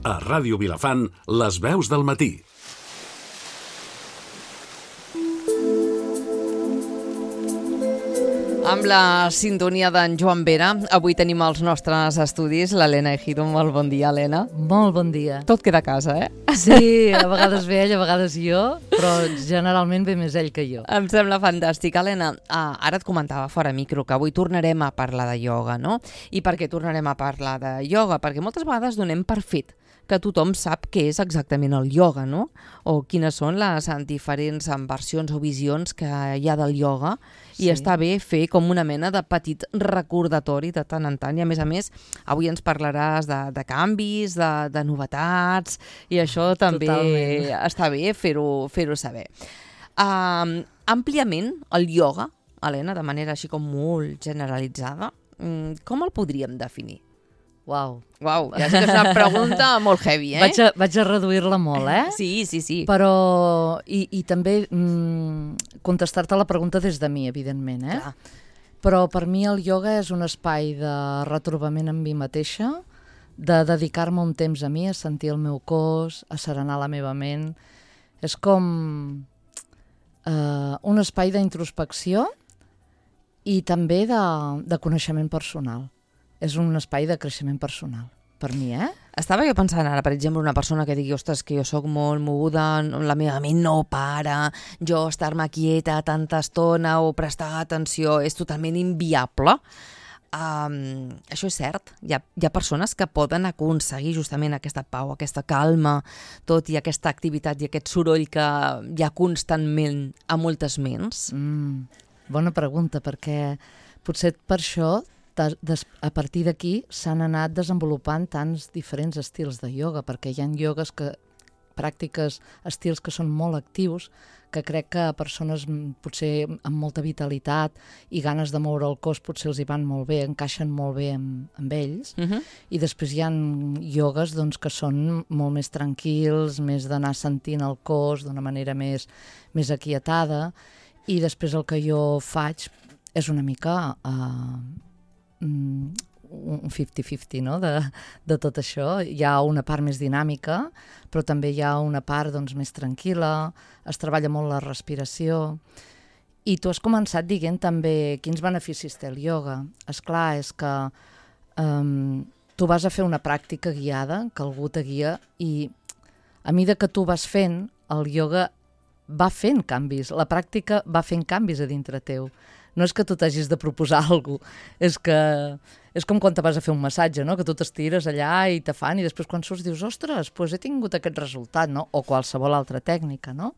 A Ràdio Vilafant, les veus del matí. Amb la sintonia d'en Joan Vera, avui tenim als nostres estudis l'Helena Ejido. Molt bon dia, Helena. Molt bon dia. Tot queda a casa, eh? Sí, a vegades ve ell, a vegades jo, però generalment ve més ell que jo. Em sembla fantàstic. Helena, ara et comentava fora micro que avui tornarem a parlar de ioga, no? I per què tornarem a parlar de ioga? Perquè moltes vegades donem per fet que tothom sap què és exactament el ioga, no? O quines són les diferents versions o visions que hi ha del ioga. I està bé fer com una mena de petit recordatori de tant en tant. I a més, avui ens parlaràs de canvis, de novetats, i això també està bé fer-ho saber. Àmpliament, el ioga, Helena, de manera així com molt generalitzada, com el podríem definir? Uau, ja sé que és una pregunta molt heavy, eh? Vaig a reduir-la molt, eh? Sí. Però, i també contestar-te la pregunta des de mi, evidentment, eh? Clar. Però per mi el ioga és un espai de retrobament amb mi mateixa, de dedicar-me un temps a mi, a sentir el meu cos, a serenar la meva ment. És com un espai d'introspecció i també de coneixement personal. És un espai de creixement personal, per mi, eh? Estava jo pensant ara, per exemple, una persona que digui ostres, que jo sóc molt moguda, la meva ment no para, jo estar-me quieta tanta estona o prestar atenció és totalment inviable. Això és cert. Hi ha persones que poden aconseguir justament aquesta pau, aquesta calma, tot i aquesta activitat i aquest soroll que hi ha constantment a moltes ments. Bona pregunta, perquè potser per això a partir d'aquí s'han anat desenvolupant tants diferents estils de ioga, perquè hi ha iogues pràctiques, estils que són molt actius, que crec que a persones potser amb molta vitalitat i ganes de moure el cos potser els hi van molt bé, encaixen molt bé amb ells. I després hi ha iogues doncs, que són molt més tranquils, més d'anar sentint el cos d'una manera més aquietada, i després el que jo faig és una mica un 50-50, no? de tot això. Hi ha una part més dinàmica, però també hi ha una part doncs, més tranquil·la, es treballa molt la respiració. I tu has començat dient també quins beneficis té el ioga. Esclar, és que tu vas a fer una pràctica guiada, que algú te guia, i a mesura que tu vas fent, el ioga va fent canvis, la pràctica va fent canvis a dintre teu. No és que tu t'hagis de proposar alguna cosa, és com quan te vas a fer un massatge, no? Que tu t'estires allà i te fan i després quan surts dius, ostres, doncs he tingut aquest resultat, no? O qualsevol altra tècnica, no?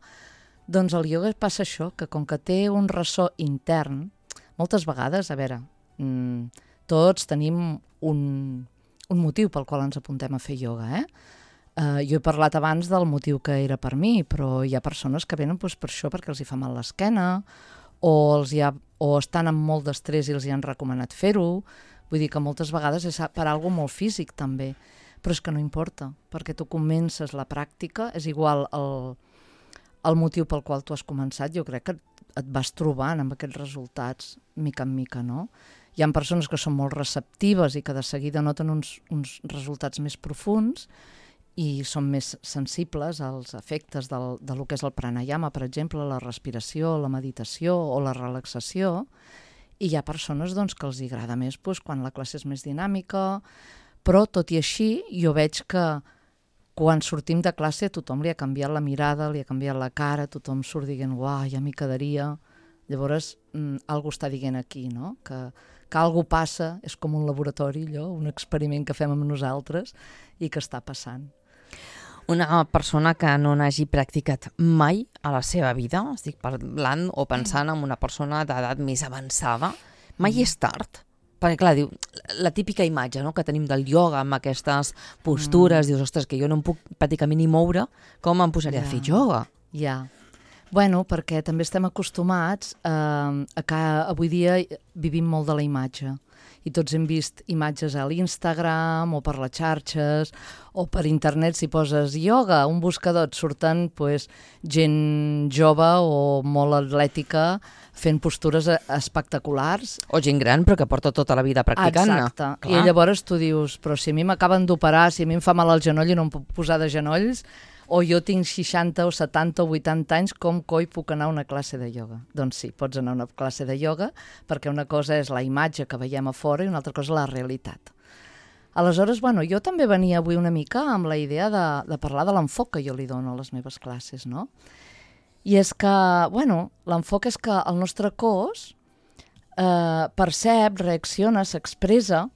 Doncs el ioga passa això, que com que té un ressò intern, moltes vegades, a veure, tots tenim un motiu pel qual ens apuntem a fer ioga, eh? Jo he parlat abans del motiu que era per mi, però hi ha persones que venen doncs, per això, perquè els hi fa mal l'esquena, o estan amb molt d'estrès i els hi han recomanat fer-ho. Vull dir que moltes vegades és per alguna molt físic també, però és que no importa, perquè tu comences la pràctica, és igual el motiu pel qual tu has començat, jo crec que et vas trobant amb aquests resultats mica en mica, no? Hi ha persones que són molt receptives i que de seguida noten uns resultats més profunds i són més sensibles als efectes del que és el pranayama, per exemple, la respiració, la meditació o la relaxació, i hi ha persones doncs, que els agrada més doncs, quan la classe és més dinàmica, però tot i així jo veig que quan sortim de classe a tothom li ha canviat la mirada, li ha canviat la cara, tothom surt dient, uah, ja m'hi quedaria. Llavors, algú està dient aquí, no? Que algú passa, és com un laboratori, allò, un experiment que fem amb nosaltres i que està passant. Una persona que no n'hagi practicat mai a la seva vida, estic parlant o pensant en una persona d'edat més avançada, mai és tard? Perquè, clar, diu, la típica imatge, no?, que tenim del ioga amb aquestes postures, dius, ostres, que jo no em puc pràcticament ni moure, com em posaré a fer ioga? Ja. Bueno, perquè també estem acostumats a que avui dia vivim molt de la imatge. I tots hem vist imatges a l'Instagram o per les xarxes o per internet. Si poses ioga, un buscador, et surten gent jove o molt atlètica fent postures espectaculars. O gent gran, però que porta tota la vida practicant-ne. Exacte. Clar. I llavors tu dius, però si a mi m'acaben d'operar, si a mi em fa mal el genoll i no em puc posar de genolls, o jo tinc 60 o 70 o 80 anys, com coi puc anar a una classe de ioga? Doncs sí, pots anar a una classe de ioga, perquè una cosa és la imatge que veiem a fora i una altra cosa la realitat. Aleshores, jo també venia avui una mica amb la idea de parlar de l'enfoc que jo li dono a les meves classes, no? I és que, l'enfoc és que el nostre cos percep, reacciona, s'expressa,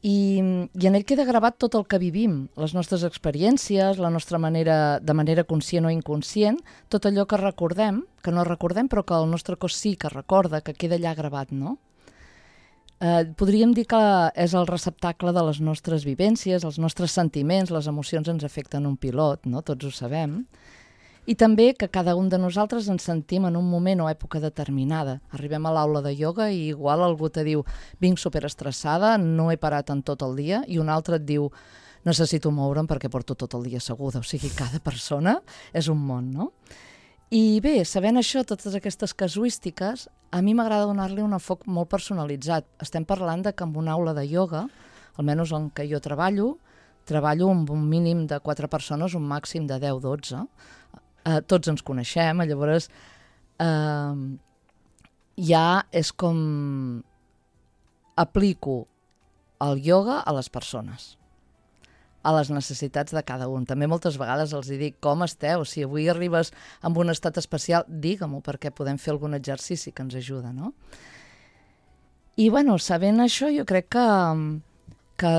i en ell queda gravat tot el que vivim, les nostres experiències, la nostra manera, de manera conscient o inconscient, tot allò que recordem, que no recordem, però que el nostre cos sí que recorda, que queda allà gravat, no? Podríem dir que és el receptacle de les nostres vivències, els nostres sentiments, les emocions ens afecten un pilot, no? Tots ho sabem. I també que cada un de nosaltres ens sentim en un moment o època determinada. Arribem a l'aula de ioga i igual algú te diu vinc superestressada, no he parat en tot el dia, i un altre et diu necessito moure'm perquè porto tot el dia asseguda. O sigui, cada persona és un món, no? I bé, sabent això, totes aquestes casuístiques, a mi m'agrada donar-li un enfoc molt personalitzat. Estem parlant de que en una aula de ioga, almenys en què jo treballo amb un mínim de 4 persones, un màxim de 10-12, tots ens coneixem, llavors ja és com aplico el ioga a les persones, a les necessitats de cada un. També moltes vegades els dic com esteu, si avui arribes amb un estat especial, digue-m'ho perquè podem fer algun exercici que ens ajuda, no? I sabent això jo crec que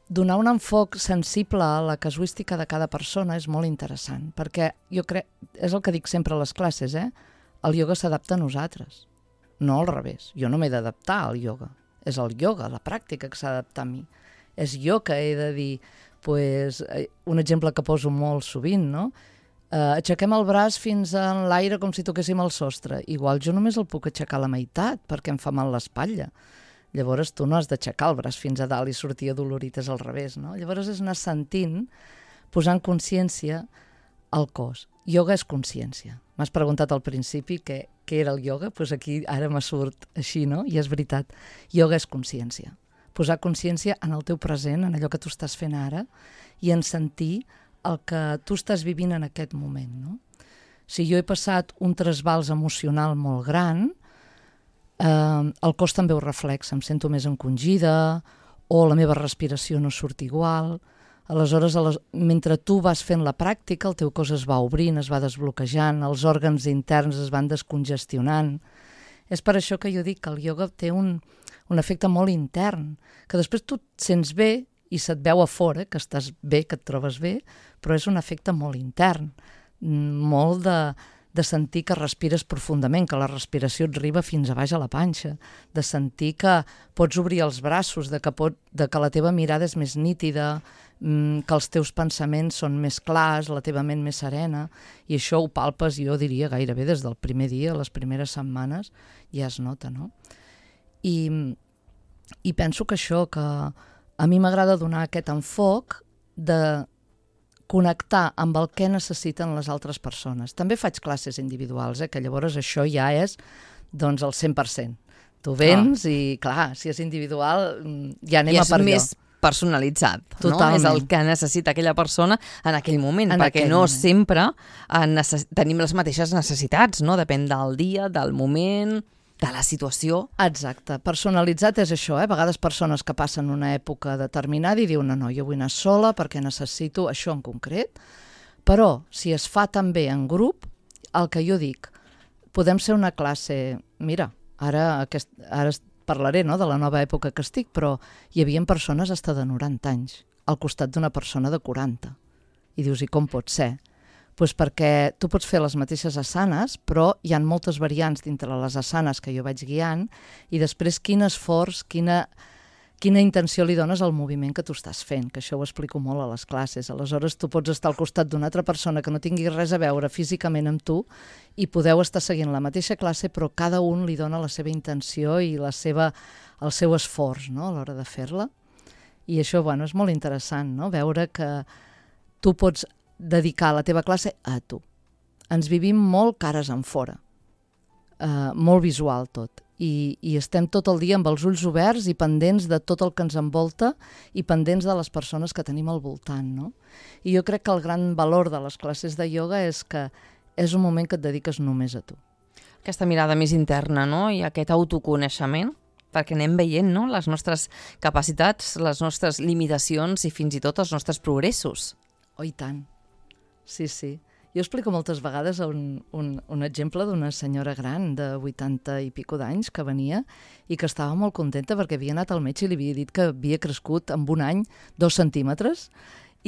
donar un enfoc sensible a la casuística de cada persona és molt interessant, perquè jo crec, és el que dic sempre a les classes, el ioga s'adapta a nosaltres, no al revés. Jo no m'he d'adaptar al ioga, és el ioga, la pràctica que s'ha d'adaptar a mi. És jo que he de dir, un exemple que poso molt sovint, no? Aixequem el braç fins en l'aire com si toquéssim el sostre. Igual jo només el puc aixecar a la meitat perquè em fa mal l'espatlla. Llavors tu no has d'aixecar el braç fins a dalt i sortir adolorit, és al revés, no? Llavors és anar sentint, posant consciència al cos. Ioga és consciència. M'has preguntat al principi què era el ioga, doncs aquí ara me surt així, no? I és veritat. Ioga és consciència. Posar consciència en el teu present, en allò que tu estàs fent ara, i en sentir el que tu estàs vivint en aquest moment, no? Si jo he passat un trasbals emocional molt gran, el cos també ho reflexa, em sento més encongida o la meva respiració no surt igual. Aleshores, mentre tu vas fent la pràctica, el teu cos es va obrint, es va desbloquejant, els òrgans interns es van descongestionant. És per això que jo dic que el ioga té un efecte molt intern, que després tu et sents bé i se't veu a fora, que estàs bé, que et trobes bé, però és un efecte molt intern, molt de sentir que respires profundament, que la respiració et arriba fins a baix a la panxa, de sentir que pots obrir els braços, de que la teva mirada és més nítida, que els teus pensaments són més clars, la teva ment més serena, i això ho palpes, jo diria, gairebé des del primer dia, les primeres setmanes, ja es nota, no? I penso que això, que a mi m'agrada donar aquest enfoc de connectar amb el que necessiten les altres persones. També faig classes individuals, que llavors això ja és el 100%. Tu vens i, clar, si és individual, ja anem a per allò. I és més personalitzat, totalment. No? És el que necessita aquella persona en aquell moment, perquè no sempre tenim les mateixes necessitats, no? Depèn del dia, del moment, de la situació. Exacte. Personalitzat és això, A vegades persones que passen una època determinada i diuen no, jo vull anar sola perquè necessito això en concret, però si es fa també en grup, el que jo dic, podem ser una classe, mira, ara parlaré de la nova època que estic, però hi havia persones fins de 90 anys al costat d'una persona de 40. I dius, i com pot ser? Doncs perquè tu pots fer les mateixes asanes, però hi ha moltes variants dintre les asanes que jo vaig guiant, i després quin esforç, quina quina intenció li dones al moviment que tu estàs fent, que això ho explico molt a les classes. Aleshores, tu pots estar al costat d'una altra persona que no tingui res a veure físicament amb tu i podeu estar seguint la mateixa classe, però cada un li dona la seva intenció i el seu esforç, no?, a l'hora de fer-la. I això, és molt interessant, no?, veure que tu pots dedicar la teva classe a tu. Ens vivim molt cares en fora, molt visual tot. I estem tot el dia amb els ulls oberts i pendents de tot el que ens envolta i pendents de les persones que tenim al voltant, no? I jo crec que el gran valor de les classes de ioga és que és un moment que et dediques només a tu. Aquesta mirada més interna, no?, i aquest autoconeixement, perquè anem veient, no?, les nostres capacitats, les nostres limitacions i fins i tot els nostres progressos. Oh, i tant. Sí, sí. Jo explico moltes vegades un exemple d'una senyora gran de 80 i pico d'anys que venia i que estava molt contenta perquè havia anat al metge i li havia dit que havia crescut en un any 2 centímetres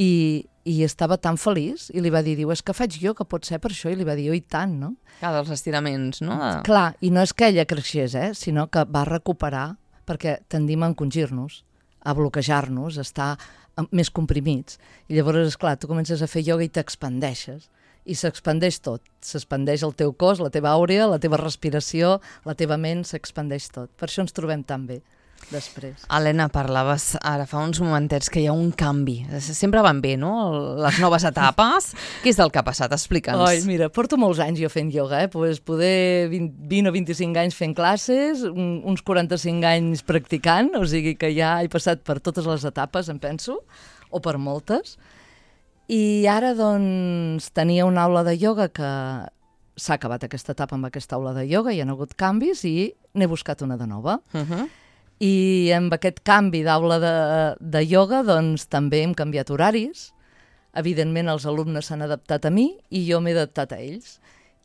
i estava tan feliç i li va dir, és que faig jo, que pot ser per això, i li va dir, i tant, no? Cada dels estiraments, no? Clar, i no és que ella creixés, sinó que va recuperar, perquè tendim a encongir-nos, a bloquejar-nos, a estar més comprimits. I llavors, esclar, tu comences a fer ioga i t'expandeixes. I s'expandeix tot. S'expandeix el teu cos, la teva àurea, la teva respiració, la teva ment, s'expandeix tot. Per això ens trobem tan bé després. Helena, parlaves ara fa uns momentets que hi ha un canvi. Sempre van bé, no?, les noves etapes. Què és el que ha passat? Explica'ns. Oi, mira, porto molts anys jo fent ioga, pues poder 20 o 25 anys fent classes, uns 45 anys practicant, o sigui que ja he passat per totes les etapes, em penso, o per moltes. I ara, doncs, tenia una aula de ioga que s'ha acabat aquesta etapa amb aquesta aula de ioga, hi ha hagut canvis i n'he buscat una de nova. I amb aquest canvi d'aula de ioga, doncs, també hem canviat horaris. Evidentment, els alumnes s'han adaptat a mi i jo m'he adaptat a ells.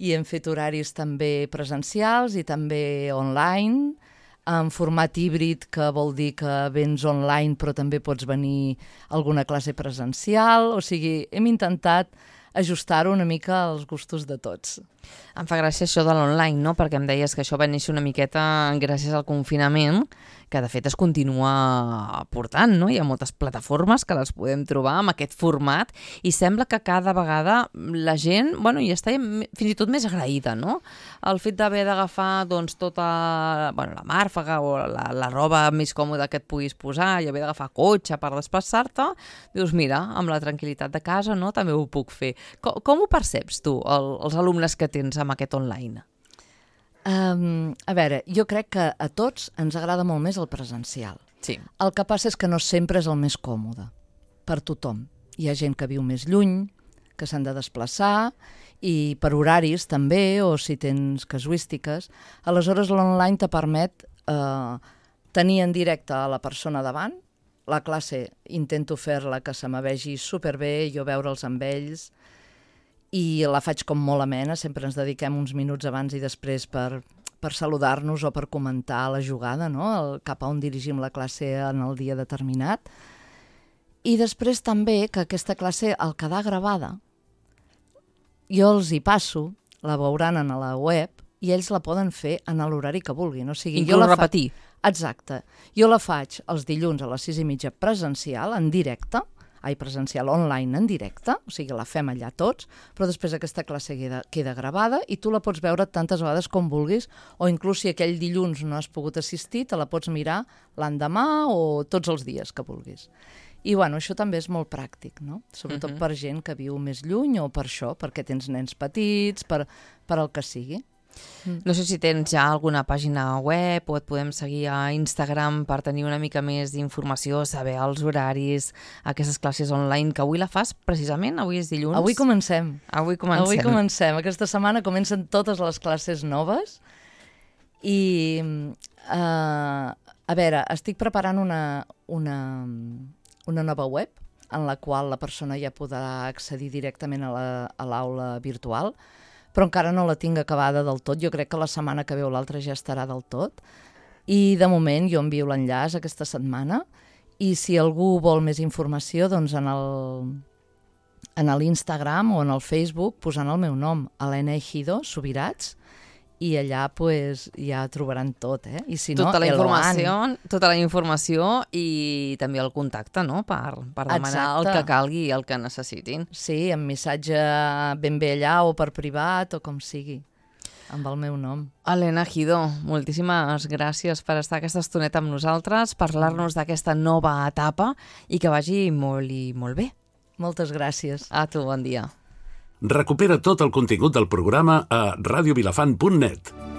I hem fet horaris també presencials i també online, en format híbrid, que vol dir que vens online però també pots venir a alguna classe presencial. O sigui, hem intentat ajustar-ho una mica als gustos de tots. Em fa gràcia això de l'online, no?, perquè em deies que això va néixer una miqueta gràcies al confinament, que de fet es continua portant, no? Hi ha moltes plataformes que les podem trobar amb aquest format i sembla que cada vegada la gent, hi està fins i tot més agraïda, no? El fet d'haver d'agafar, doncs, tota la màrfaga o la roba més còmoda que et puguis posar i haver d'agafar cotxe per desplaçar-te, dius, mira, amb la tranquil·litat de casa, no?, també ho puc fer. Com ho perceps tu, els alumnes que tens amb aquest online? A veure, jo crec que a tots ens agrada molt més el presencial. Sí. El que passa és que no sempre és el més còmode per tothom. Hi ha gent que viu més lluny, que s'han de desplaçar, i per horaris també, o si tens casuístiques. Aleshores, l'online te permet tenir en directe a la persona davant. La classe intento fer-la que se me vegi superbé, jo veure'ls amb ells, i la faig com molt amena, sempre ens dediquem uns minuts abans i després per saludar-nos o per comentar la jugada, no?, cap a on dirigim la classe en el dia determinat. I després també que aquesta classe, al quedar gravada, jo els hi passo, la veuran a la web, i ells la poden fer en l'horari que vulguin. O sigui, inclús repetir. Exacte. Jo la faig els dilluns a les 6:30 presencial, en directe, presencial online en directe, o sigui, la fem allà tots, però després aquesta classe queda gravada i tu la pots veure tantes vegades com vulguis, o inclús si aquell dilluns no has pogut assistir, te la pots mirar l'endemà o tots els dies que vulguis. I això també és molt pràctic, no? Sobretot per gent que viu més lluny o per això, perquè tens nens petits, per el que sigui. No sé si tens ja alguna pàgina web o et podem seguir a Instagram per tenir una mica més d'informació, saber els horaris, aquestes classes online, que avui la fas precisament, avui és dilluns. Avui comencem. Avui comencem. Aquesta setmana comencen totes les classes noves i, a veure, estic preparant una nova web en la qual la persona ja podrà accedir directament a l'aula virtual, però encara no la tinc acabada del tot. Jo crec que la setmana que ve o l'altra ja estarà del tot. I de moment jo envio l'enllaç aquesta setmana i si algú vol més informació, doncs en l'Instagram o en el Facebook posant el meu nom, Helena Ejido Subirats, i allà pues, ja trobaran tot, I si no, tota la informació i també el contacte, no?, per demanar el que calgui i el que necessitin. Sí, amb missatge ben bé allà o per privat o com sigui, amb el meu nom. Helena Gidó, moltíssimes gràcies per estar aquesta estoneta amb nosaltres, parlar-nos d'aquesta nova etapa i que vagi molt i molt bé. Moltes gràcies. A tu, bon dia. Recupera tot el contingut del programa a radiovilafant.net.